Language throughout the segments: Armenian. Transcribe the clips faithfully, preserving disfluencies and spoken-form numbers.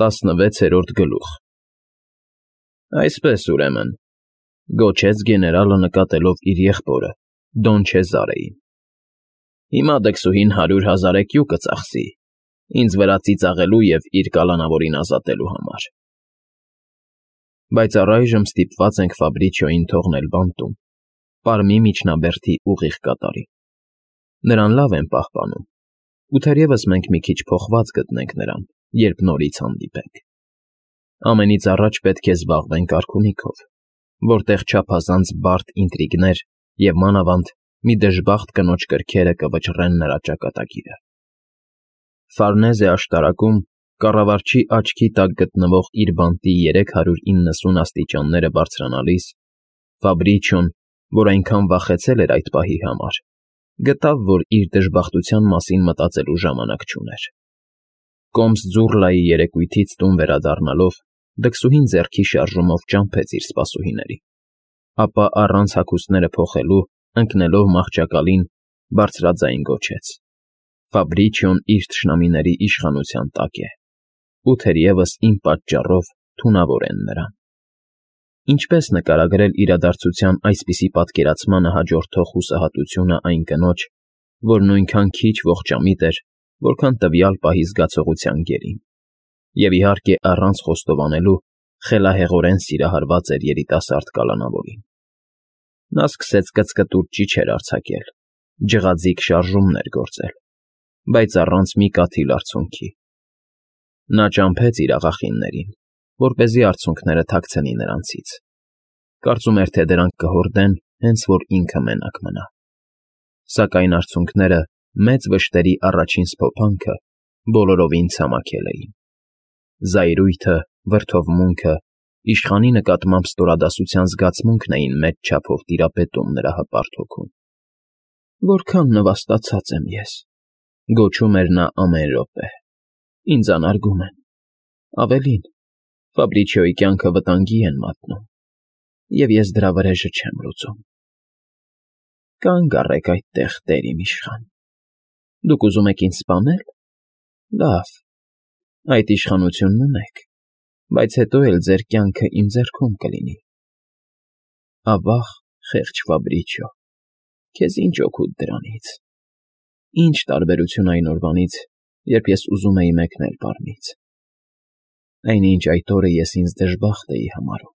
Տասնվեցերորդ գլուխ։ Այսպես, ուրեմն,֊ գոչեց գեներալը, նկատելով իր եղբորը՝ Դոն Չեզարեին,֊ հիմա դքսուհին հարյուր հազար էկյու կծախսի ինձ վրա ծիծաղելու և իր կալանավորին ազատելու համար… Բայց առայժմ ստիպված ենք Ֆաբրիչիոյին թողնել բանտում, պարմի միջնաբերդի ուղիղ կատարին. նրան լավ են պահպանում, ու թերևս մենք մի քիչ փոխված կգտնենք նրան, երբ նորից հանդիպենք… Ամենից առաջ պետք է զբաղվենք արքունիքով, որտեղ չափազանց բարդ ինտրիգներ և, մանավանդ, մի դժբախտ կնոջ կրքերը կվճռեն նրա ճակատագիրը… Ֆարնեզե աշտարակում կառավարչի աչքի տակ գտնվող իր բանտի երեք հարյուր իննսուն աստիճանները բարձրանալիս Ֆաբրիչիոն, որ այնքան վախեցել էր այդ պահի համար, գտավ, որ իր դժբախտության մասին մտածելու ժամանակ չուներ… Կոմս ձուռլայի երեկույթից տուն վերադառնալով դքսուհին ձեռքի շարժումով ճամփեց իր սպասուհիներին, ապա առանց հագուստները փոխելու, ընկնելով մահճակալին, բարձրաձայն գոչեց. «Ֆաբրիչիոն իր թշնամիների իշխանության տակ է, ու թերևս իմ պատճառով թունավոր են նրան»… Ինչպես նկարագրել իրադարձության այսպիսի պատկերացմանը հաջորդող հուսահատությունը այն կնոջ, որ նույնքան քիչ ողջամիտ էր, որքան տվյալ պահի զգացողության գերին, և, իհարկե, առանց խոստովանելու, խելահեղորեն սիրահարված էր երիտասարդ կալանավորին… Նա սկսեց կծկտուր ճիչեր արձակել, ջղաձիգ շարժումներ գործել, բայց առանց մի կաթիլ արցունքի… Նա ճամփեց իր աղախիններին, որպեսզի արցունքները թաքցնի նրանցից, կարծում էր, թե դրանք կհորդեն, հենց որ ինքը մենակ մնա… Սակայն արցունքները մեծ վշտերի առաջին սփոփանքը բոլորովին ցամաքել էին… Զայրույթը, վրդովմունքը, իշխանի նկատմամբ ստորադասության զգացմունքն էին մեծ չափով տիրապետում նրա հպարտ հոգում… «Որքան նվաստացած եմ ես,֊ գոչում էր նա ամեն րոպե,֊ ինձ անարգում են… Ավելին, Ֆաբրիչիոյի կյանքը վտանգի են մատնում, և ես դրա վրեժը չեմ լուծում… Կանգ առեք այդտեղ, տեր իմ իշխան… Դուք ուզում եք ինձ սպանե՞լ… Լավ, այդ իշխանությունն ունեք, բայց հետո էլ ձեր կյանքը իմ ձեռքում կլինի… Ավա՜ղ, խեղճ Ֆաբրիչիո, քեզ ինչ օգուտ դրանից… Ի՞նչ տարբերություն այն օրվանից, երբ ես ուզում էի մեկնել պարմից… Այնինչ այդ օրը ես ինձ դժբախտ էի համարում…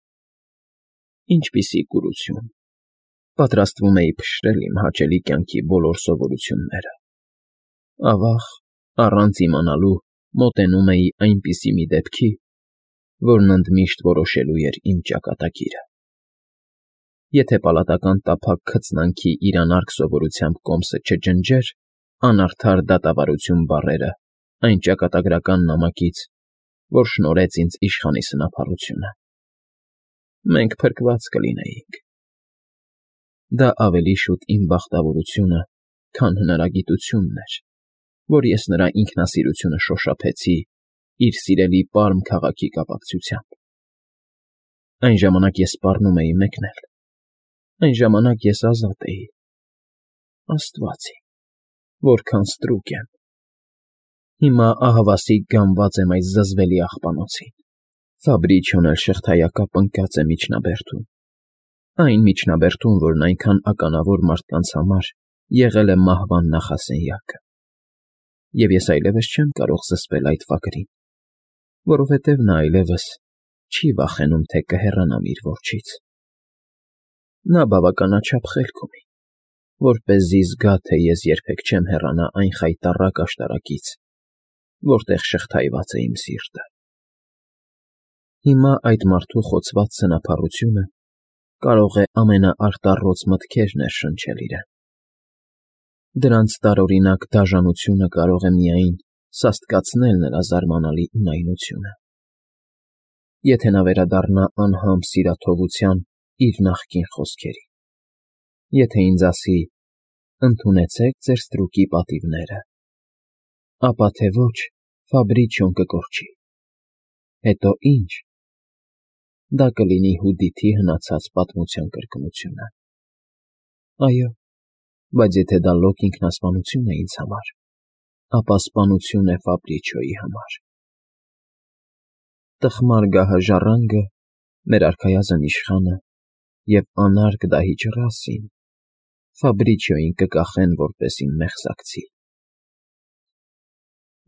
Ինչպիսի կուրություն… Պատրաստվում էի փշրել իմ հաճելի կյանքի բոլոր սովորությունները… Ավա՜ղ, առանց իմանալու մոտենում էի այնպիսի մի դեպքի, որն ընդմիշտ որոշելու էր իմ ճակատագիրը… Եթե պալատական տափակ քծնանքի իրանարկ սովորությամբ կոմսը չջնջեր «անարդար դատավարություն» բառերը այն ճակատագրական նամակից, որ շնորհեց ինձ իշխանի սնափառությունը… Մենք փրկված կլինեինք… Դա ավելի շուտ իմ բախտավորությունը, քան հնարագիտությունն էր, որ ես նրա ինքնասիրությունը շոշափեցի իր սիրելի Պարմ քաղաքի կապակցությամբ… Այն ժամանակ ես սպառնում էի մեկնել… Այն ժամանակ ես ազատ էի… Աստվա՜ծ իմ, որքան ստրուկ եմ… Հիմա ահավասիկ գանված եմ այս զզվելի աղբանոցին… Ֆաբրիչիոն էլ շղթայակապ ընկած է միջնաբերդում… Այն միջնաբերդում, որն այնքան ականավոր մարդկանց համար եղել է մահվան նախասենյակը… Եվ ես այլևս չեմ կարող զսպել այդ վագրին, որովհետև նա այլևս չի վախենում, թե կհեռանամ իր որջից… Նա բավականաչափ խելք ունի, որպեսզի զգա, թե ես երբեք չեմ հեռանա այն խայտառակ աշտարակից, որտեղ շղթայված է իմ սիրտը… Հիմա այդ մարդու խոցված սնափառությունը կարող է ամենաարտառոց մտքեր ներշնչել իրեն… Դրանց տարօրինակ դաժանությունը կարող է միայն սաստկացնել նրա զարմանալի ունայնությունը… Եթե նա վերադառնա անհամբ սիրաթողության իր նախկին խոսքերի… Եթե ինձ ասի. «Ընդունեցեք ձեր ստրուկի պատիվները», ապա թե ոչ, Ֆաբրիչիոն կկորչի… Հետո ի՞նչ… Դա կլինի Հուդիթի հնացած պատմության կրկնությունը… Այո, բայց եթե դա լոկ ինքնասպանություն է ինձ համար, ապա սպանություն է Ֆաբրիչիոյի համար… տխմար գահը ժառանգը, մեր արքայազն իշխանը և անարգ դահիճ Ռասին Ֆաբրիչիոյին կկախեն որպես իմ մեղսակցի։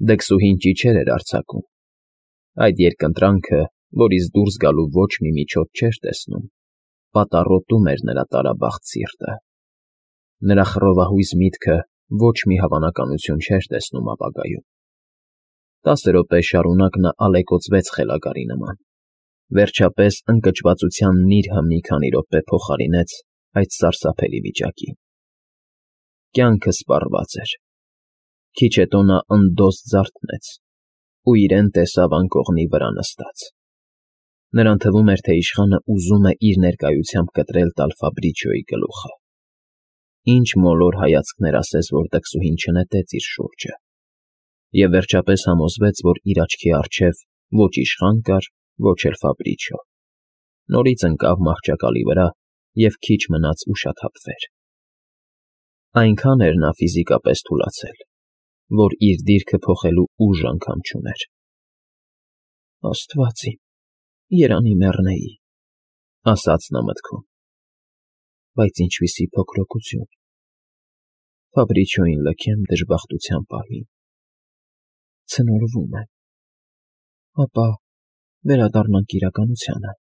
Դքսուհին ճիչեր էր արձակում. այդ երկընտրանքը, որից դուրս գալու ոչ մի միջոց չէր տեսնում, պատառոտում էր նրա տարաբախտ սիրտը։ Նրա խռովահույս միտքը ոչ մի հավանականություն չէր տեսնում ապագայում։ Տասը րոպե շարունակ նա ալեկոծվեց խելագարի նման, վերջապես ընկճվածության նիրհը մի քանի րոպե փոխարինեց այդ սարսափելի վիճակին։ Կյանքը սպառված էր։ Քիչ հետո նա ընդոս ձարթնեց ու իրեն տեսավ անկողնի վրա նստած։ Նրան թվում էր, թե իշխանը ուզում է իր ներկայությամբ կտրել տալ Ֆաբրիչիոյի գլուխը։ Ինչ մոլոր հայացքներ ասես, որ դքսուհին չնետեց իր շուրջը, և վերջապես համոզվեց, որ իր աչքի առջև ոչ իշխան կար, ոչ էլ Ֆաբրիչիո։ Նորից ընկավ մահճակալի վրա և քիչ մնաց ուշաթափվեր։ Այնքան էր նա ֆիզիկապես թուլացել, որ իր դիրքը փոխելու ուժ անգամ չուներ։ «Աստված իմ, երանի մեռնեի», ասաց նա մտքում, բայց ինչպիսի փոքրօգություն, Ֆաբրիչիոյին լքեմ դժբախտության պահին, ցնորվում եմ, ապա վերադառնանք իրականությանը,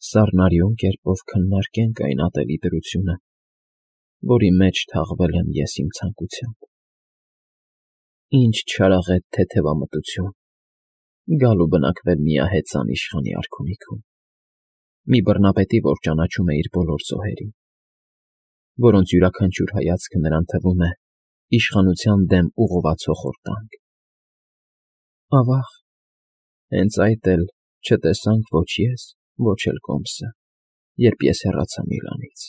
սառնարյուն կերպով քննարկենք այն ատելի դրությունը, որի մեջ թաղվել եմ ես իմ ցանկությամբ։ Ինչ չարաղետ թեթևամտություն, գալ ու բնակվել միահեծան իշխանի արքունիքում, մի բռնապետի, որ ճանաչում է իր բոլոր զոհերին, որոնց յուրաքանչյուր հայացքը նրան թվում է իշխանության դեմ ուղղված հոխորտանք։ Ավա՜ղ, հենց այդ էլ չտեսանք ոչ ես, ոչ էլ Կոմսը, երբ ես հեռացա Միլանից։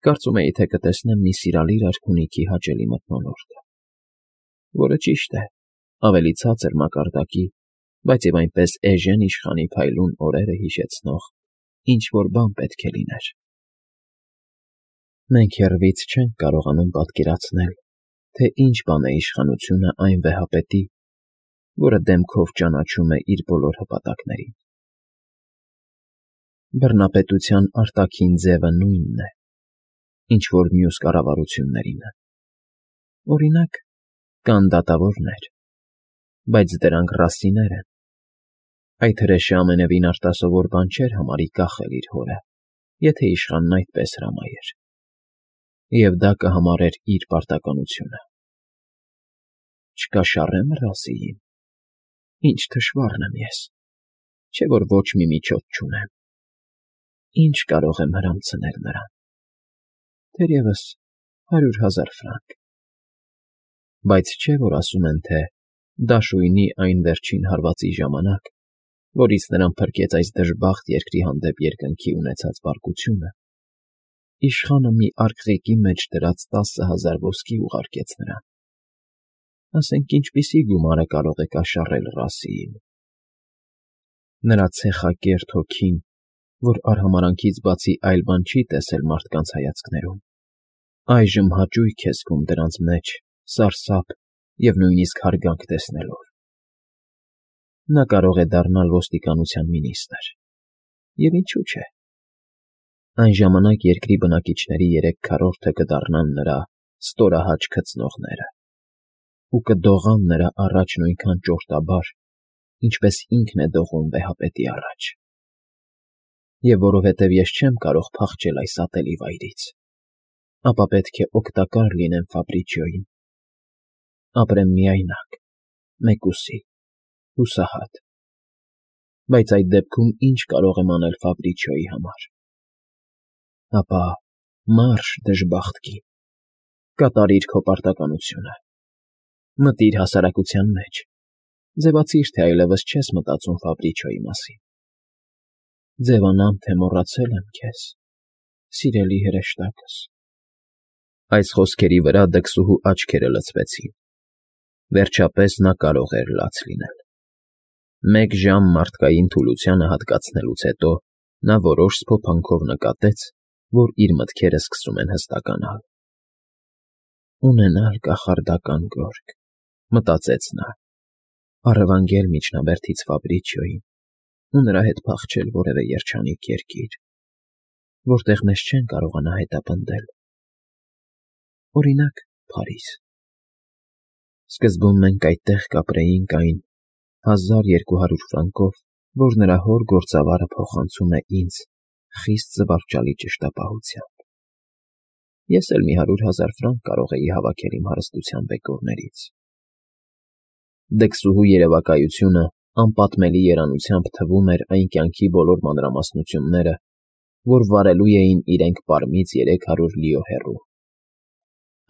Կարծում էի, թե կտեսնեմ մի սիրալիր արքունիքի հաճելի մթնոլորտը, որը ճիշտ է, ավելի ցածր մակարդակի, բայց և այնպես էժեն իշխանի փայլուն օրերը հիշեցնող ինչ֊որ բան պետք է լիներ։ Մենք հեռվից չենք կարողանում պատկերացնել, թե ինչ բան է իշխանությունը այն վեհապետի, որը դեմքով ճանաչում է իր բոլոր հպատակներին։ Բռնապետության արտաքին ձևը նույնն է, ինչ որ մյուս կառավարություններինը։ Օրինակ, կան դատավորներ, բայց դրանք Ռասիներ են։ Այդ հրեշը ամենևին արտասովոր բան չէր համարի կախել իր հորը, եթե իշխանն այդպես հրամայեր, և դա կհամարեր իր պարտականությունը։ Չկաշառե՞մ Ռասիին, ինչ թշվառն եմ ես, չէ՞ որ ոչ մի միջոց չունեմ, ինչ կարող եմ հրամցնել նրան, թերևս հարյուր հազար ֆրանկ, բայց չէ՞ որ ասում են, թե դաշույնի այն վերջին հարվածի ժամանակ, որից նրան փրկեց այս դժբախտ երկրի հանդեպ երկնքի ունեցած պարկությունը, իշխանը մի արկղիկի մեջ դրած տասը հազար ոսկի ուղարկեց նրան։ Ասենք ինչպիսի գումարը կարող է կաշառել Ռասիին։ Նրա ցեխակերտ հոգին, որ արհամարհանքից բացի այլ բան չի տեսել մարդկանց հայացքներում, այժմ հաճույք է զգում դրանց մեջ, սարսափ և նույնիսկ հարգանք տեսնելով։ Նա կարող է դառնալ ոստիկանության մինիստր, և ինչու՞ չէ։ Այն ժամանակ երկրի բնակիչների երեք քառորդը կդառնան նրա ստորահաճ քծնողները ու կդողան նրա առաջ նույնքան ճորտաբար, ինչպես ինքն է դողում վեհապետի առաջ։ Եվ որովհետև ես չեմ կարող փախչել այս ատելի վայրից, ապա պետք է օգտակար լինեմ Ֆաբրիչիոյին, ապրեմ միայնակ, մեկուսի, հուսահատ։ Բայց այդ դեպքում ի՞նչ կարող եմ անել Ֆաբրիչիոյի համար։ Ապա մարշ, դժբախտ կին, կատարիր քո պարտականությունը, մտիր հասարակության մեջ, ձևացիր, թե այլևս չես մտածում Ֆաբրիչիոյի մասին։ Ձևանամ, թե մոռացել եմ քեզ, սիրելի հրեշտակս։ Այս խոսքերի վրա դքսուհու աչքերը լցվեցին։ Վերջապես նա կարող էր լաց լինել։ Մեկ ժամ մարդկային թուլությանը հատկացնելուց հետո նա որոշ սփոփանքով նկատեց, որ իր մտքերը սկսում են հստականալ։ «Ունենալ կախարդական գորգ», մտածեց նա, Առևանգել միջնաբերդից Ֆաբրիչիոյին ու նրա հետ փախչել որևէ երջանիկ երկիր, որտեղ մեզ չեն կարողանա հետապնդել, օրինակ, Փարիզ։ Սկզբում մենք այդտեղ կապրեինք այն հազար երկու հարյուր ֆրանկով, որ նրա հոր գործավարը փոխանցում է ինձ խիստ զվարճալի ճշտապահությամբ։ Ես էլ մի հարյուր հազար ֆրանկ կարող էի հավաքել իմ հարստության բեկորներից։ Դքսուհու երևակայությունը անպատմելի երանությամբ թվում էր այն կյանքի բոլոր մանրամասնությունները, որ վարելու էին իրենք Պարմից երեք հարյուր լիո հեռու։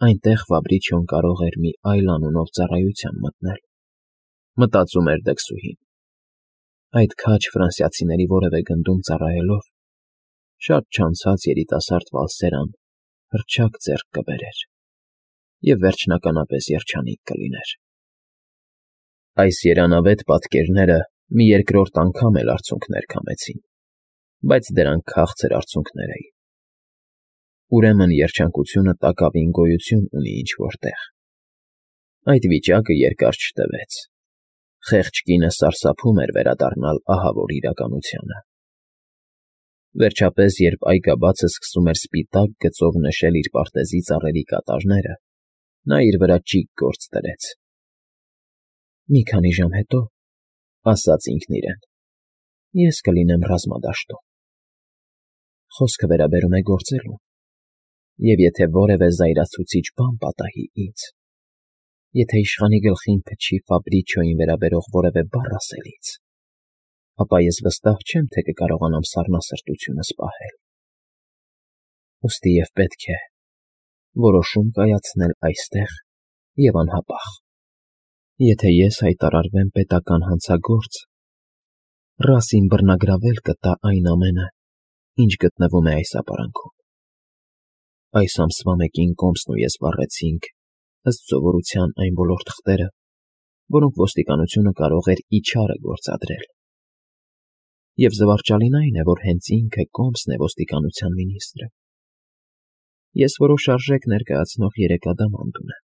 Այնտեղ Ֆաբրիչիոն կարող էր մի այլ անունով ծառայության մտնել, մտածում էր դքսուհին։ Այդ քաջ ֆրանսիացիների որևէ գնդում ծառայելով, շատ չանցած երիտասարդ Վալսերան հռչակ ձեռք կբերեր և վերջնականապես երջանիկ կլիներ։ Այս երանավետ պատկերները մի երկրորդ անգամ էլ արցունքներ քամեցին, բայց դրանք քաղցր արցունքներ էին։ Ուրեմն երջանկությունը տակավին գոյություն ունի ինչ֊որ տեղ։ Այդ վիճակը երկար չտևեց։ Խեղճ կինը սարսափում էր վերադառնալ ահավոր իրականությանը։ Վերջապես, երբ այգաբացը սկսում էր սպիտակ գծով նշել իր պարտեզի ծառերի կատարները, նա իր վրա ճիգ գործ դրեց։ «Մի քանի ժամ հետո, — ասաց ինքն իրեն, — ես կլինեմ ռազմադաշտում։ Խոսքը վերաբերում է գործելուն, և եթե որևէ զայրացուցիչ բան պատահի ինձ, եթե իշխանի գլխին փչի Ֆաբրիչիոյին վերաբերող որևէ բառ ասելից, ապա ես վստահ չեմ, թե կկարողանամ սառնասրտությունս պահել։ Ուստի և պետք է որոշում կայացնել այստեղ և անհապաղ։ Եթե ես հայտարարվեմ պետական հանցագործ, Ռասին բռնագրավել կտա այն ամենը, ինչ գտնվում է այս ապարանքում։ Այս ամսվա մեկին Կոմսն ու ես վառեցինք, ըստ սովորության, այն բոլոր թղթերը, որոնք ոստիկանությունը կարող էր իչարը գործադրել։ Եվ զվարճալին այն է, որ հենց ինքը Կոմսն է ոստիկանության մինիստրը։ Ես որոշ արժեք ներկայացնող երեք ադամանդ ունեմ։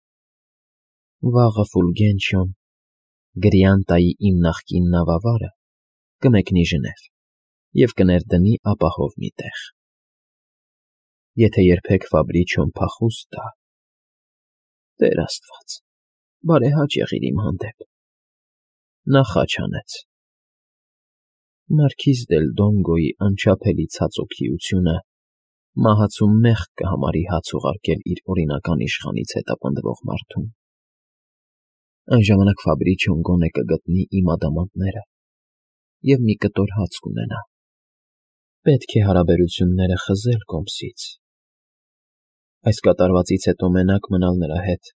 Վաղը Ֆուլգենչիոն, Գրիանտայի իմ նախկին նավավարը, կմեկնի Ժնև և կներդնի ապահով մի տեղ։ Եթե երբեք Ֆաբրիչիոն փախուստ տա… Տեր Աստված, բարեհաճ եղիր իմ հանդեպ… Նա խաչ հանեց։ Մարքիզ դել Դոնգոյի անչափելի ցածօքիությունը մահացու մեղք կհամարի հաց ուղարկել իր օրինական իշխանից հետապնդվող մարդուն։ Այն ժամանակ Ֆաբրիչիոն գոնե կգտնի իմ ադամանդները և մի կտոր հաց կունենա։ Պետք է հարաբերությունները խզել Կոմսից։ Այս կատարվածից հետո մենակ մնալ նրա հետ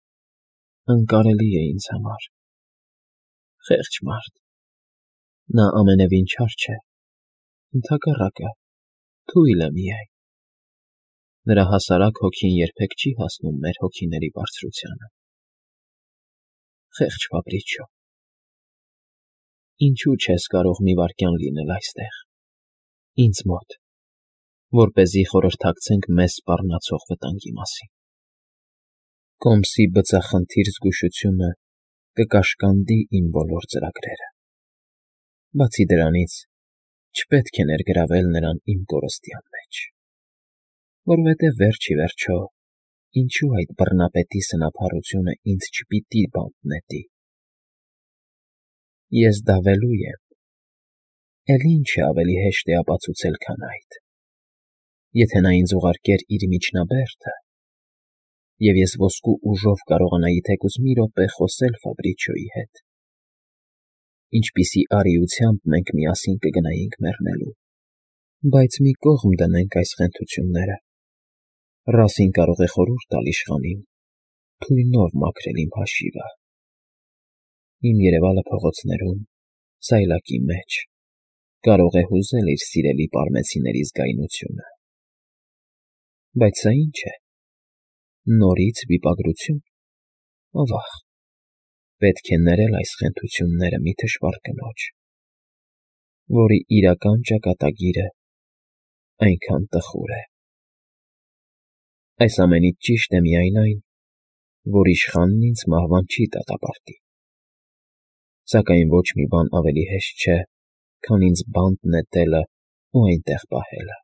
անկարելի է ինձ համար։ Խեղճ մարդ… Նա ամենևին չար չէ, ընդհակառակը, թույլ է միայն։ Նրա հասարակ հոգին երբեք չի հասնում մեր հոգիների բարձրությանը։ Խեղճ Ֆաբրիչիո… Ինչո՞ւ չես կարող մի վայրկյան լինել այստեղ, ինձ մոտ, որպեսզի խորհրդակցենք մեզ սպառնացող վտանգի մասին։ Կոմսի բծախնդիր զգուշությունը կկաշկանդի իմ բոլոր ծրագրերը։ Բացի դրանից, չպետք է ներգրավել նրան իմ կորստյան մեջ, որովհետև վերջ ի վերջո, ինչու այդ բռնապետի սնափառությունը ինձ չպիտի բանտ նետի։ Ես դավելու եմ, էլ ինչ է ավելի հեշտ է ապացուցել, քան այդ։ Եթե նա ինձ ուղարկեր իր միջնաբերդը, և ես ոսկու ուժով կարողանայի թեկուզ մի րոպե խոսել Ֆաբրիչիոյի հետ, ինչպիսի արիությամբ մենք միասին կգնայինք մեռնելու։ Բայց մի կողմ դնենք այս խենթությունները։ Ռասին կարող է խորհուրդ տալ իշխանին թույնով մաքրել իմ հաշիվը։ Իմ երևալը փողոցներում, սայլակի մեջ կարող է հուզել իր սիրելի պարմեցիների զգայունությունը։ Բայց սա ի՞նչ է, նորից վիպագրություն… Ավա՜ղ, պետք է ներել այս խենթությունները մի թշվառ կնոջ, որի իրական ճակատագիրը այնքան տխուր է։ Այս ամենից ճիշտ է միայն այն, որ իշխանն ինձ մահվան չի դատապարտի։ Սակայն ոչ մի բան ավելի հեշտ չէ, քան ինձ բանտ նետելը ու այնտեղ պահելը։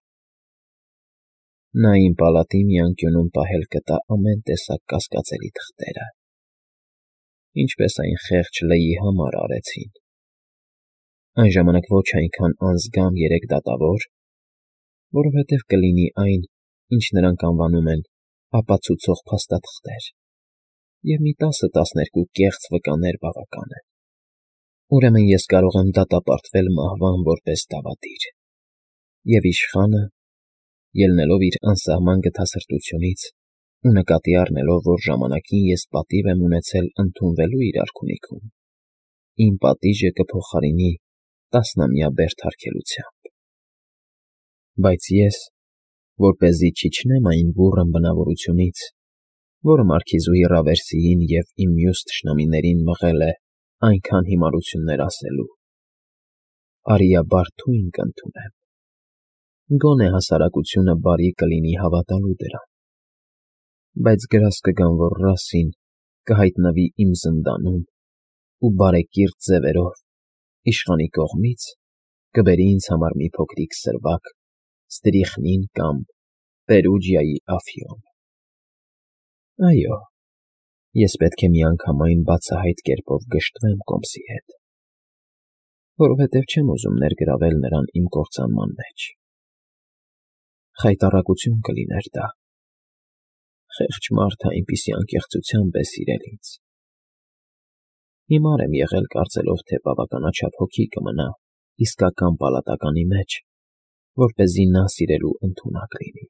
Նա իմ պալատի մի անկյունում պահել կտա ամեն տեսակ կասկածելի թղթերը, ինչպես այն խեղճ Լեյի համար արեցին։ Այն ժամանակ ոչ այնքան անձգամ երեք դատավոր, որովհետև կլինի այն, ինչ նրանք անվանում են ապացուցող փաստաթղթեր, և մի տասը֊տասներկու կեղծ վկաներ բավական են։ Ուրեմն ես կարող եմ դատապարտվել մահվան որպես դավադիր, և իշխանը, ելնելով իր անսահման գթասրտությունից ու նկատի առնելով, որ ժամանակին ես պատիվ եմ ունեցել ընդունվելու իր արքունիքում, իմ պատիժը կփոխարինի տասնամյա բերդարգելությամբ։ Բայց ես, որպեսզի չիջնեմ այն բուռն բնավորությունից, որը մարքիզուհի Ռավերսիին և իմ մյուս թշնամիներին մղել է այնքան հիմարություններ ասելու, արիաբար թույն կընդունեմ, գոնե հասարակությունը բարի կլինի հավատալու դրան, բայց գրազ կգամ, որ Ռասսին կհայտնվի իմ զնդանում ու բարեկիրթ ձևերով, իշխանի կողմից, կբերի ինձ համար մի փոքրիկ սրվակ Ստրիխնին կամ Պերուջիայի Աֆիոն։ Այո, ես պետք է միանգամայն բացահայտ կերպով գժտվեմ Կոմսի հետ, որովհետև չեմ ուզում ներգրավել նրան իմ կործանման մեջ։ Խայտառակություն կլիներ դա։ Խեղճ մարդը այնպիսի անկեղծությամբ է սիրել ինձ։ Հիմար եմ եղել կարծելով, թե բավականաչափ հոգի կմնա իսկական պալատականի մեջ, որպեսզի նա սիրելու ընդունակ լինի։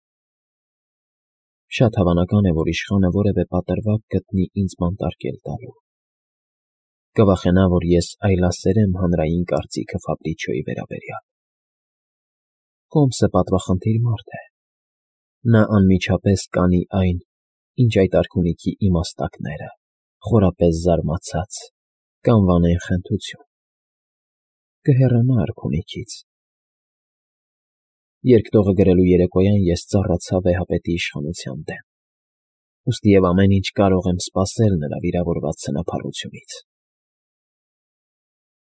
Շատ հավանական է, որ իշխանը որևէ պատրվակ գտնի ինձ բանտարկել տալու։ Կվախենա, որ ես այլասերեմ հանրային կարծիքը Ֆաբրիչիոյի վերաբերյալ։ Կոմսը պատվախնդիր մարդ է։ Նա անմիջապես կանի այն, ինչ այդ արքունիքի իմաստակները, խորապես զարմացած, կանվանեն խենթություն։ Կհեռանա արքունիքից։ Երկտողը գրելու երեկոյան ես ծառացա վեհապետի իշխանության դեմ, ուստի և ամեն ինչ կարող եմ սպասել նրա վիրավորված սնափառությունից։